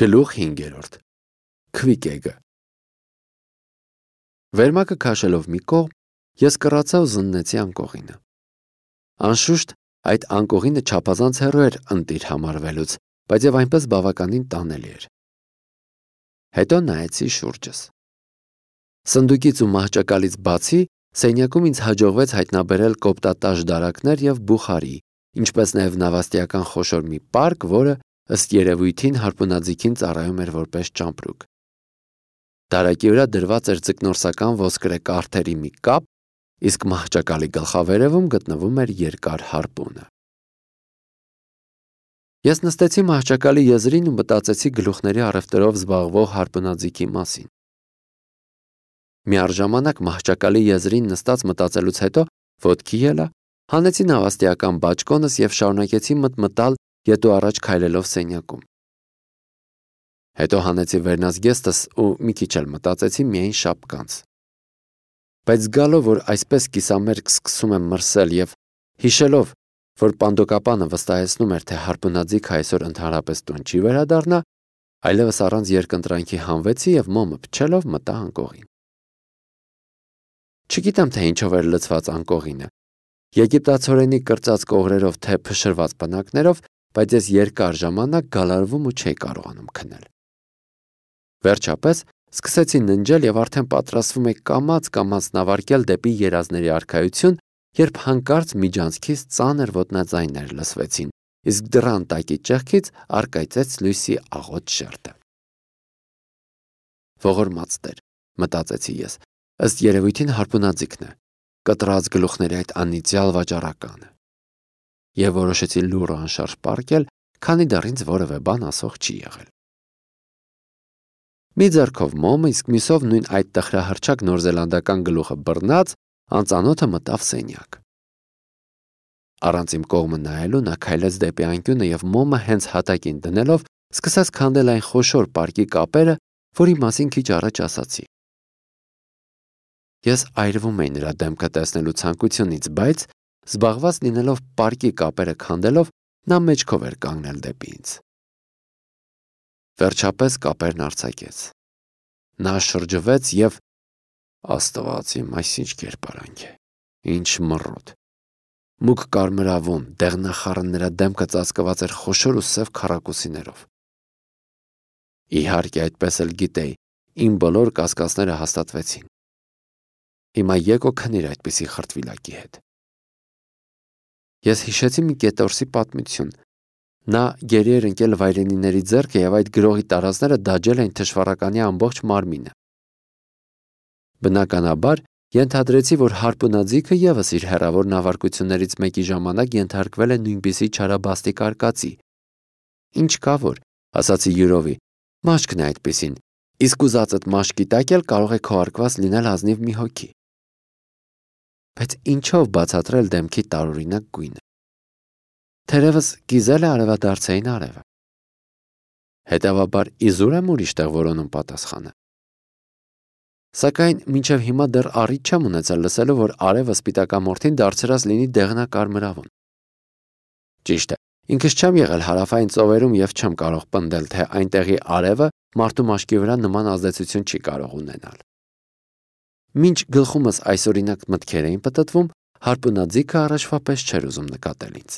Գլուխ 5. Քվիկեգը Վերմակը քաշելով մի կողմ, ես կռացա ու զննեցի անկողինը։ Անշուշտ, այդ անկողինը չափազանց հեռու էր ընտիր համարվելուց, բայց եւ այնպես բավականին տանելի էր։ Հետո նայեցի շուրջս։ Սնդուկից ու մահճակալից բացի, սենյակում ինձ հաջողվեց հայտնաբերել կոպտատաշ դարակներ եւ բուխարի, ինչպես նաեւ նավաստիական խոշոր մի պարկ, որը ըստ երևույթին հարպունաձիգին ծառայում էր որպես ճամպրուկ։ Դարակի վրա դրված էր ձկնորսական ոսկրե կարթերի մի կապ, իսկ մահճակալի գլխավերևում գտնվում էր երկար հարպունը։ Ես նստեցի մահճակալի եզրին ու մտածեցի գլուխների առևտրով զբաղվող հարպունաձիգի մասին։ Միառժամանակ մահճակալի եզրին նստած մտածելուց հետո ոտքի ելա, հանեցի նավաստիական բաճկոնս եւ շարունակեցի մտմտալ ետու առաջ քայլելով սենյակում։ Հետո հանեցի վերնազգեստս ու մի քիչ էլ մտածեցի միայն շապկանց։ Բայց զգալով, որ այսպես կիսամերկ սկսում եմ մրսել եւ հիշելով, որ պանդոկապանը վստահեցնում էր, թե հարպունաձիգը այսօր ընդհանրապես տուն չի վերադառնա, այլևս առանց երկընտրանքի հանվեցի եւ մոմը փչելով մտա անկողին։ Չգիտեմ, թե ինչով էր լցված անկողինը։ Եգիպտացորենի կրծած կողրերով թե փշրված պնակներով, բայց ես երկար ժամանակ գալարվում ու չէի կարողանում քնել։ Վերջապես սկսեցի ննջել եւ արդեն պատրաստվում էի կամաց նավարկել դեպի երազների արքայություն, երբ հանկարծ միջանցքից ծանր ոտնաձայներ լսվեցին, իսկ դռան տակի ճեղքից առկայծեց լույսի աղոտ շերտը։ Ողորմած Տեր, մտածեցի ես, ըստ երևույթին հարպունաձիգն է, կտրած գլուխների այդ անիծյալ վաճառականը։ Եվ որոշեցի լուրը անշարժ պառկել, քանի դեռ ինձ որևէ բան ասող չի եղել։ Մի ձեռքով մոմը, իսկ մյուսով նույն այդ տխրահռչակ նորզելանդական գլուխը բռնած, անծանոթը մտավ սենյակ։ Առանց իմ կողմը նայելու նա քայլեց դեպի անկյունը եւ մոմը հենց հատակին դնելով սկսեց քանդել այն խոշոր պարկի կապերը, որի մասին քիչ առաջ ասացի։ Ես այրվում էի նրա դեմքը տեսնելու ցանկությունից, բայց զբաղված լինելով պարկի կապերը քանդելով, նա մեջքով էր կանգնել դեպի ինձ։ Վերջապես կապերն արձակեց։ Նա շրջվեց եւ Աստված իմ, այսինչ կերպարանք է։ Ինչ մռոտ։ Մուգ կարմրավուն, դեղնախառն նրա դեմքը ծածկված էր խոշոր ու սև քառակուսիներով։ Իհարկե, այդպես էլ գիտեի, իմ բոլոր կասկածները հաստատվեցին։ Հիմա եկո քնիր այդպիսի խրտվիլակի հետ։ Ես հիշեցի մի կետորսի պատմություն։ Նա գերի էր ընկել վայրենիների ձեռքը եւ այդ գրողի տարազները դաջել էին թշվառականի ամբողջ մարմինը։ Բնականաբար, ենթադրեցի, որ հարպունաձիգը եւս իր հեռավոր նավարկություններից մեկի ժամանակ ենթարկվել է նույնպիսի չարաբաստիկ արկածի։ Ինչ կա որ, ասացի յուրովի, մաշկն է այդպիսին, իսկ ուզածդ մաշկի տակ էլ կարող է քո արկված լինել ազնիվ մի հոգի։ Բայց ինչով բացատրել դեմքի տարօրինակ գույնը։ Թերևս կիզել է արևադարձային արևը։ Հետևաբար իզուր եմ ուրիշ տեղ որոնում պատասխանը։ Սակայն մինչև հիմա դեռ առիթ չեմ ունեցել լսելու, որ արևը սպիտակամորթին դարձրած լինի դեղնակարմրավուն։ Ճիշտ է, ինքս չեմ եղել հարավային ծովերում եւ չեմ կարող պնդել, թե այնտեղի արևը մարդու մաշկի վրա նման ազդեցություն չի կարող ունենալ։ Մինչ գլխումս այսօրինակ մտքեր էին պտտվում, հարպունաձիգը առաջվա պես չէր ուզում նկատել ինձ։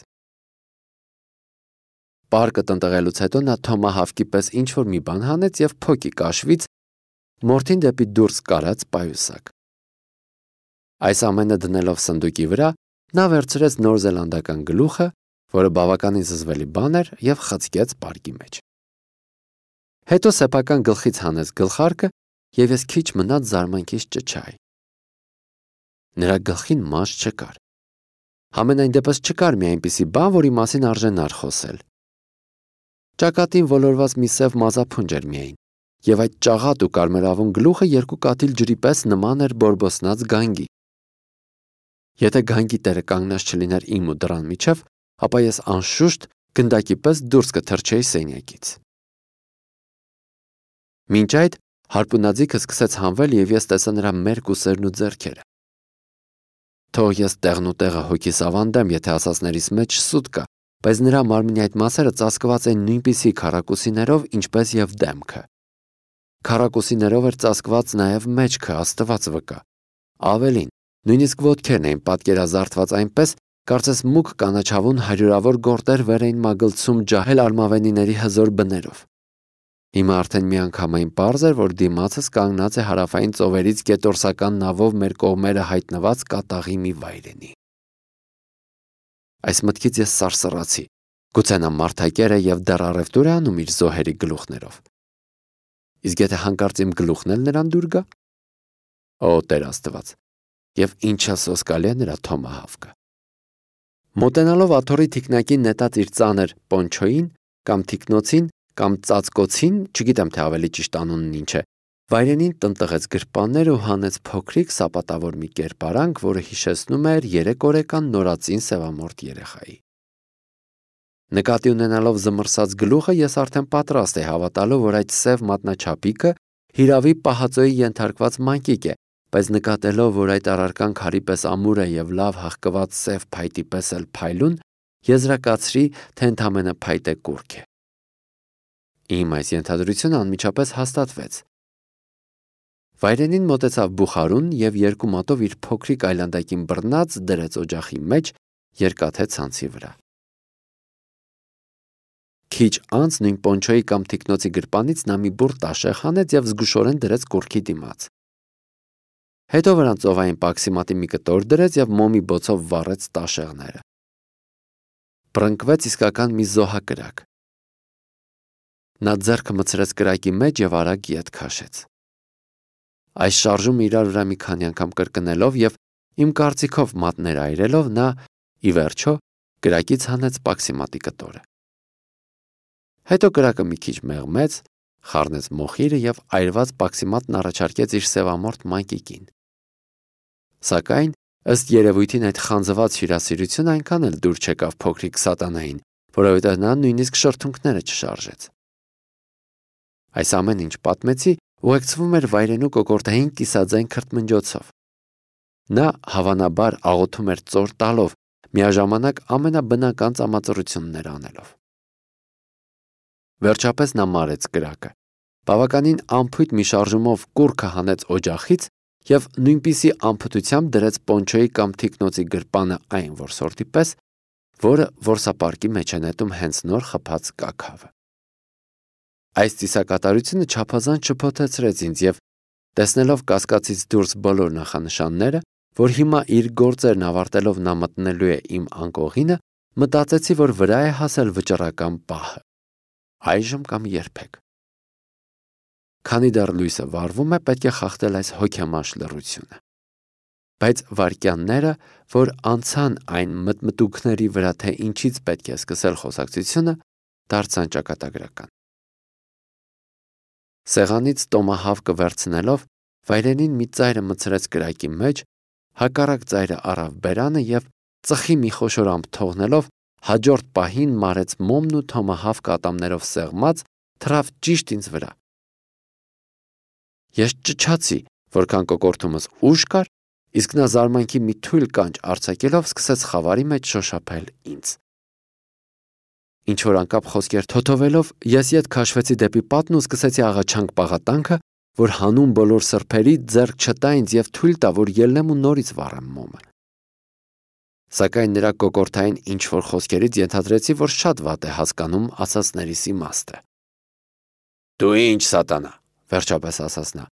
Պարկը տնտղելուց հետո նա թոմահավկի պես ինչ-որ մի բան հանեց եւ փոքի կաշվից մորթին դեպի դուրս կարած պայուսակ։ Այս ամենը դնելով սնդուկի վրա, նա վերցրեց նորզելանդական գլուխը, որը բավականին զզվելի բան էր, եւ խցկեց պարկի մեջ։ Հետո սեփական գլխից հանեց գլխարկը եւ ես քիչ մնաց զարմանքից ճչայի։ Նրա գլխին մաշ չկար։ Համենայն դեպս չկար մի այնպիսի բան, որի մասին արժենար խոսել։ Ճակատին ոլորված մի սև մազափունջ էր միայն, եւ այդ ճաղատ ու կարմրավուն գլուխը երկու կաթիլ ջրի պես նման էր բորբոսնած գանգի։ Եթե գանգի տերը կանգնած չլիներ իմ ու դռան միջև, ապա ես անշուշտ գնդակի պես դուրս կթռչեի սենյակից։ Մինչ այդ հարպունաձիգը սկսեց հանվել եւ ես տեսա նրա մերկ ուսերն ու ձեռքերը։ Թող ես տեղն ու տեղը հոգիս ավանդեմ, եթե ասածներիս մեջ սուտ կա, բայց նրա մարմնի այդ մասերը ծածկված են նույնպիսի քառակուսիներով, ինչպես եւ դեմքը։ Քառակուսիներով էր ծածկված նաեւ մեջքը, Աստված վկա։ Ավելին, նույնիսկ ոտքերն էին պատկերազարդված այնպես, կարծես մուգ կանաչավուն հարյուրավոր գորտեր վեր էին մագլցում ջահել արմավենիների հզոր բներով։ Հիմա արդեն միանգամայն պարզ էր, որ դիմացս կանգնած է հարավային ծովերից գետորսական նավով մեր կողմերը հայտնված կատաղի մի վայրենի։ Այս մտքից ես սարսռացի։ Գուցե նա մարդակեր է եւ դեռ առևտուր է անում իր զոհերի գլուխներով։ Իսկ եթե հանկարծ իմ գլուխն էլ նրան դուր գա։ Օ, Տեր Աստված, եւ ինչա սոսկալի է նրա թոմահավկը։ Մոտենալով աթոռի թիկնակին նետած իր ծանր պոնչոյին կամ թիկնոցին կամ ծածկոցին, չգիտեմ թե ավելի ճիշտ անունն ինչ է, վայրենին տնտղեց գրպաններ ու հանեց փոքրիկ սապատավոր մի կերպարանք, որը հիշեցնում էր 3 օրեկան նորածին սևամորթ երեխայի։ Նկատի ունենալով զմռսած գլուխը, ես արդեն պատրաստ էի հավատալու, որ այդ սև մատնաչափիկը հիրավի պահածոյի ենթարկված մանկիկ է, բայց նկատելով, որ այդ առարկան քարի պես ամուր է եւ լավ հաղկված սև փայտի պես էլ փայլուն, եզրակացրի, թե ընդամենը փայտե կուրք է։ Իմ այս ենթադրությունը անմիջապես հաստատվեց։ Վայրենին մոտեցավ բուխարուն եւ 2 մատով իր փոքրիկ այլանդակին բռնած դրեց օջախի մեջ, երկաթե ցանցի վրա։ Քիչ անց նույն պոնչոյի կամ թիկնոցի գրպանից նա մի բուռ տաշեղ հանեց եւ զգուշորեն դրեց կուրքի դիմաց։ Հետո վրան ծովային պաքսիմատի մի կտոր դրեց եւ մոմի բոցով վառեց տաշեղները։ Բռնկվեց իսկական մի զոհակրակ։ Նա ձեռքը մցրեց կրակի մեջ եւ արագ ետ քաշեց։ Այս շարժումը իրար վրա մի քանի անգամ կրկնելով եւ իմ կարծիքով մատներ այրելով նա ի վերջո կրակից հանեց պաքսիմատի կտորը։ Հետո կրակը մի քիչ մեղմեց, խառնեց մոխիրը եւ այրված պաքսիմատն առաջարկեց իր սևամորթ մանկիկին։ Սակայն ըստ երևույթին այդ խանձված հյուրասիրությունը այնքան էլ դուր չեկավ փոքրիկ սատանային, որովհետեւ նա նույնիսկ շրթունքները չշարժեց։ Այս ամեն ինչ պատմեցի ուղեկցվում էր վայրենու կոկորդային կիսաձայն քրթմնջոցով։ Նա հավանաբար աղոթում էր ծոր տալով, միաժամանակ ամենաբնական ծամածռություններ անելով։ Վերջապես նա մարեց կրակը։ Բավականին անփույթ մի շարժումով կուրքը հանեց օջախից եւ նույնպիսի անփութությամբ դրեց պոնչոյի կամ թիկնոցի գրպանը այն որսորդի պես, որը որսապարկի մեջ է նետում հենց նոր խփած կաքավը։ Այս ծիսակատարությունը չափազանց շփոթեցրեց ինձ եւ տեսնելով կասկածից դուրս բոլոր նախանշանները, որ հիմա իր գործերն ավարտելով նա մտնելու է իմ անկողինը, մտածեցի, որ վրա է հասել վճռական պահը։ Այժմ կամ երբեք։ Քանի դեռ լույսը վառվում է, պետք է խախտել այս հոգեմանշ լռությունը։ Բայց վայրկյանները, որ անցան այն մտմտուքների վրա, թե ինչից պետք է սկսել խոսակցությունը, դարձան ճակատագրական։ Սեղանից տոմահավկը վերցնելով, վայրենին մի ծայրը մցրեց կրակի մեջ, հակառակ ծայրը առավ բերանը եւ ծխի մի խոշորամբ թողնելով հաջորդ պահին մարեց մոմն ու թոմահավկը ատամներով սեղմած թռավ ճիշտ ինձ վրա։ Ես ճչացի, որքան կոկորդումս ուժ կար, իսկ նա զարմանքի մի թույլ կանչ արձակելով սկսեց խավարի մեջ շոշափել ինձ։ Ինչ որ անկապ խոսքեր թոթովելով, ես ետ քաշվեցի դեպի պատն ու սկսեցի աղաչանք պաղատանքը, որ հանուն բոլոր սրբերի ձեռք չտա ինձ եւ թույլ տա, որ ելնեմ ու նորից վառեմ մոմը։ Սակայն նրա կոկորդային ինչ որ խոսքերից ենթադրեցի, որ շատ վատ է հասկանում ասածներիս իմաստը։ Դու ինչ սատանա, վերջապես ասաց նա։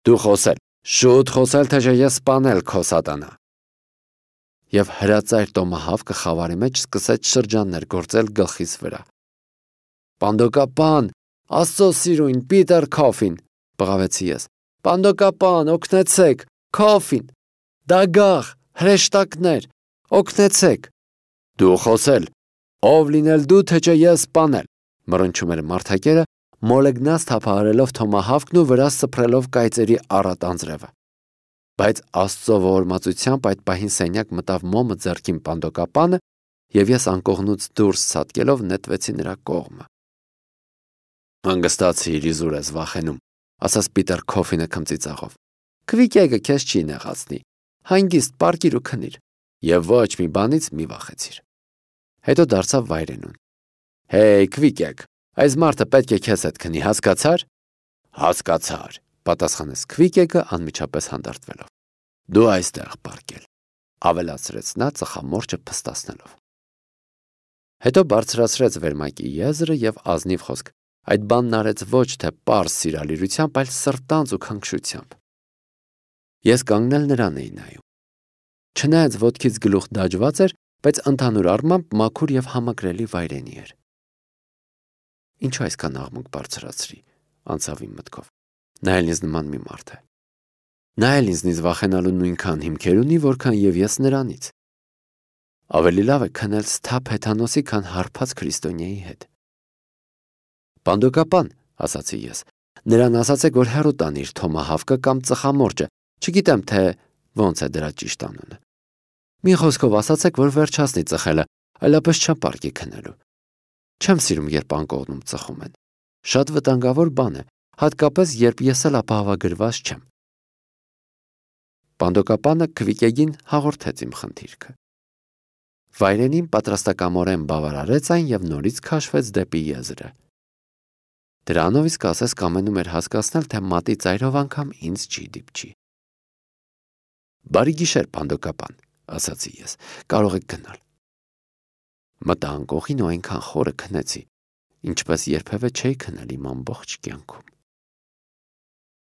Դու խոսել, շուտ խոսել, թե ես սպանել քո սատանա։ Եվ հրածայր տոմահավկը խավարի մեջ սկսեց շրջաններ գործել գլխիս վրա։ Պանդոկապան, Աստծո սիրուն, Պիտեր Քոֆին, բղավեցի ես։ Պանդոկապան, օգնեցեք, Քոֆին, դագաղ, հրեշտակներ, օգնեցեք։ Դու խոսել, ով լինել դու, թե չէ ես սպանել, մռնչում էր մարդակերը, մոլեգնած թափահարելով թոմահավկն ու վրա սփռելով կայծերի առատ անձրևը։ Բայց Աստծո ողորմածությամբ այդ պահին սենյակ մտավ մոմը ձեռքին պանդոկապանը եւ ես անկողնուց դուրս ցատկելով նետվեցի նրա կողմը։ Հանգստացիր, իզուր ես վախենում, ասաց Պիտեր Քոֆինը քմծիծաղով։ Քվիկեգը քեզ չի նեղացնի։ Հանգիստ պարկիր ու քնիր եւ ոչ մի բանից մի վախեցիր։ Հետո դարձավ Վայրենուն. «Հեյ, Քվիկեկ, այս մարդը պետք է քեզ հետ քնի, հասկացար»։ «Հասկացար», պատասխանեց Քվիկեկը անմիջապես հանդարտվելով։ «Դու այստեղ պառկել», ավելացրեց նա ծխամորճը փստացնելով։ Հետո բարձրացրեց վերմակի եզրը եւ ազնիվ խոսք այդ բանն արեց ոչ թե պարզ սիրալիրությամբ, այլ սրտանց ու քնքշությամբ։ Ես կանգնել նրան էի նայում։ Չնայած ոտքից գլուխ դաջված էր, բայց ընդհանուր առմամբ մաքուր եւ համակրելի Վայրենի էր։ Ինչու այսքան աղմուկ բարձրացրի, անցավ իմ մտքով։ Նա էլ ինձ նման մի մարդ է։ Նա էլ ինձնից վախենալու նույնքան հիմքեր ունի, որքան եւ ես նրանից։ Ավելի լավ է քնել սթափ հեթանոսի, քան հարբած քրիստոնյայի հետ։ Պանդոկապան, ասացի ես, նրան ասացեք, որ հեռու տանի իր թոմահավկը կամ ծխամորճը, չգիտեմ, թե ոնց է դրա ճիշտ անունը։ Մի խոսքով ասացեք, որ վերջացնի ծխելը, այլապես չապարկի քնելու։ Չեմ սիրում, երբ անկողնում ծխում են։ Շատ վտանգավոր բան է, հատկապես երբ ես էլ ապահովագրված չեմ։ Պանդոկապանը Քվիկեգին հաղորդեց իմ խնդիրքը։ Վայրենին պատրաստակամորեն բավարարեց այն եւ նորից քաշվեց դեպի եզրը։ Դրանով իսկ ասես կամենում էր հասկացնել, թե մատի ծայրով անգամ ինձ չի դիպչի։ Բարի գիշեր, Պանդոկապան, ասացի ես, կարող եք գնալ։ Մտա անկողին ու այնքան խորը քնեցի, ինչպես երբևէ չէի քնել իմ ամբողջ կյանքում։